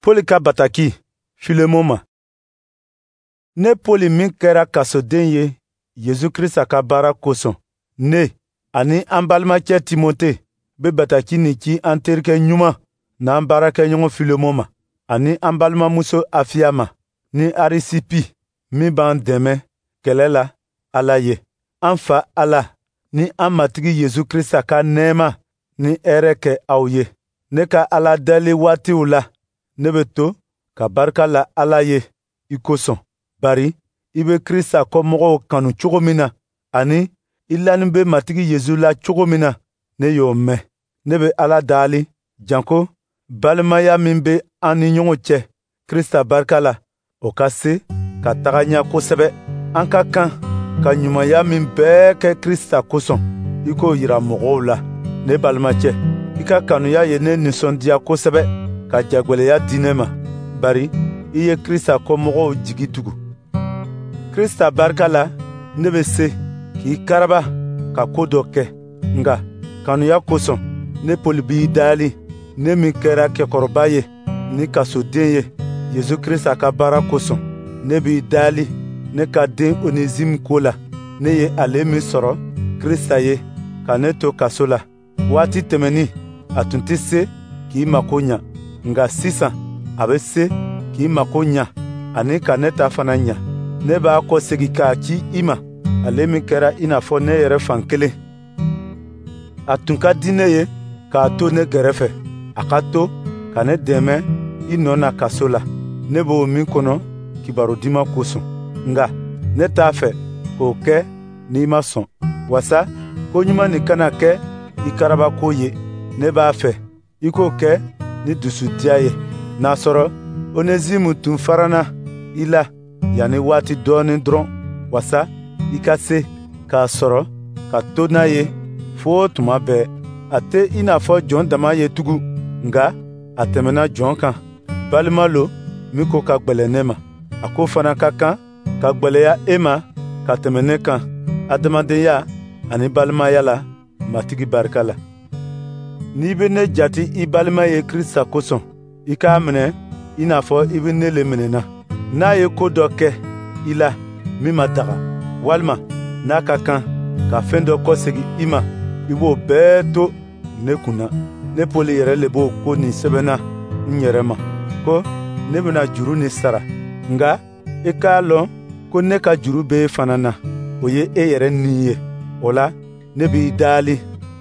Poli ka bataki Filemon ma. Ne Poli min kɛra kasoden ye Yesu Krista ka baara kosɔn, ne ani an balimacɛ Timote bɛ bataki nin ci an terikɛ ɲuman n'an baarakɛɲɔgɔn Filemon ma, ani an balimamuso Afiya ma, ni Arisipi min b'an dɛmɛ kɛlɛ la Ala ye. An Fa Ala ni an Matigi Yesu Krista ka nɛɛma ni hɛrɛ kɛ aw ye. Ne ka Ala deli waatiw la, ne bɛ to ka barika la Ala ye i kosɔn, bari i bɛ Krista kɔmɔgɔw kanu cogo min na, ani i lanin bɛ Matigi Yesu la cogo min na, ne y'o mɛn. Ne bɛ Ala dali, janko balimaya min bɛ an ni ɲɔgɔn cɛ Krista barika la, o ka se ka taga ɲɛ kosɛbɛ. An ka kan ka ɲumanya min bɛɛ kɛ Krista kosɔn, i k'o yira mɔgɔw la. Ne balimacɛ, i ka kanuya ye ne nisɔndiya kosɛbɛ ka jagwɛlɛya di ne ma, bari i ye Krista kɔmɔgɔw jigi tugu. Krista barika la, ne bɛ se k'i karaba ka ko dɔ kɛ, nka kanuya kosɔn, ne Poli b'i dali, ne min kɛra kɛkɔrɔba ye ni kasoden ye Yesu Krista ka baara kosɔn. Ne b'i dali ne ka den Onezime ko la, ne ye ale min sɔrɔ Krista ye ka ne to kaso la. Waati tɛmɛnin, a tun tɛ se k'i mako ɲa, nka sisan a bɛ se k'i mako ɲa ani ka ne ta fana ɲa. Ne b'a kɔsegin k'a ci i ma, ale min kɛra i n'a fɔ ne yɛrɛ fan kelen. A tun ka di ne ye k'a to ne gɛrɛfɛ, a ka to ka ne dɛmɛ i nɔ na kaso la, ne b'o min kɔnɔ kibaru duman kosɔn. Nka ne t'a fɛ k'o kɛ n'i ma sɔn, wasa ko ɲuman nin kana kɛ i karabako ye. Ne b'a fɛ i k'o kɛ ni dusudiya ye, n'a sɔrɔ Onezimu tun farana i la yanni waati dɔɔnin dɔrɔn, wasa i ka se k'a sɔrɔ ka to n'a ye fo tuma bɛɛ. A tɛ i n'a fɔ jɔn dama ye tugun, nka a tɛmɛna jɔn kan. Balima lo min ko ka gwɛlɛn ne ma. A ko fana ka kan ka gwɛlɛya e ma ka tɛmɛ ne kan adamadenya ani balimaya la Matigi barika la. N'i bɛ ne jate i balima ye Krista kosɔn, i k'a minɛ i n'a fɔ i bɛ ne le minɛna. N'a ye ko dɔ kɛ i la min ma daga, walima n'a ka kan ka fɛn dɔ kɔsegin i ma, i b'o bɛɛ to ne kun na. Ne Poli yɛrɛ le b'o ko nin sɛbɛnna n yɛrɛ ma, ko ne bɛna juru nin sara. Nka i k'a lɔn ko ne ka juru b'e e fana na, o ye e yɛrɛ ni ye. O la, ne b'i dali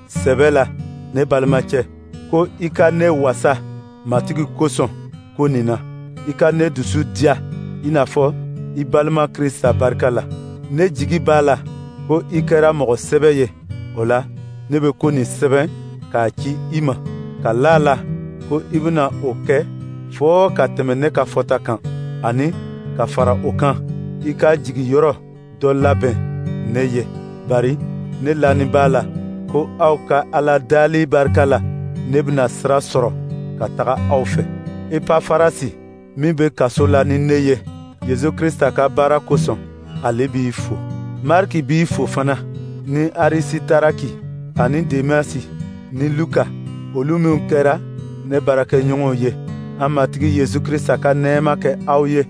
sɛbɛ la, ne balimacɛ, ko i ka ne wasa Matigi kosɔn ko nin na. I ka ne dusu diya i n'a fɔ i balima Krista barika la. Ne jigi b'a la ko i kɛra mɔgɔ sɛbɛ ye. O la, ne bɛ ko nin sɛbɛn k'a ci i ma, ka la a la ko i bɛna o kɛ fɔɔ ka tɛmɛ ne ka fɔta kan, ani ka fara o kan, i ka jigiyɔrɔ dɔ labɛn ne ye, bari ne lanin b'a la ko aw ka Ala dali barika la, ne bɛna sira sɔrɔ ka taga aw fɛ. Epafarasi min bɛ kaso la ni ne ye Yesu Krista ka baara kosɔn, ale b'i fo. Mariki b'i fo fana, ni Arisitaraki ani Demasi ni Luka, olu minw kɛra ne baarakɛɲɔgɔnw ye. An Matigi Yesu Krista ka nɛɛma kɛ aw ye.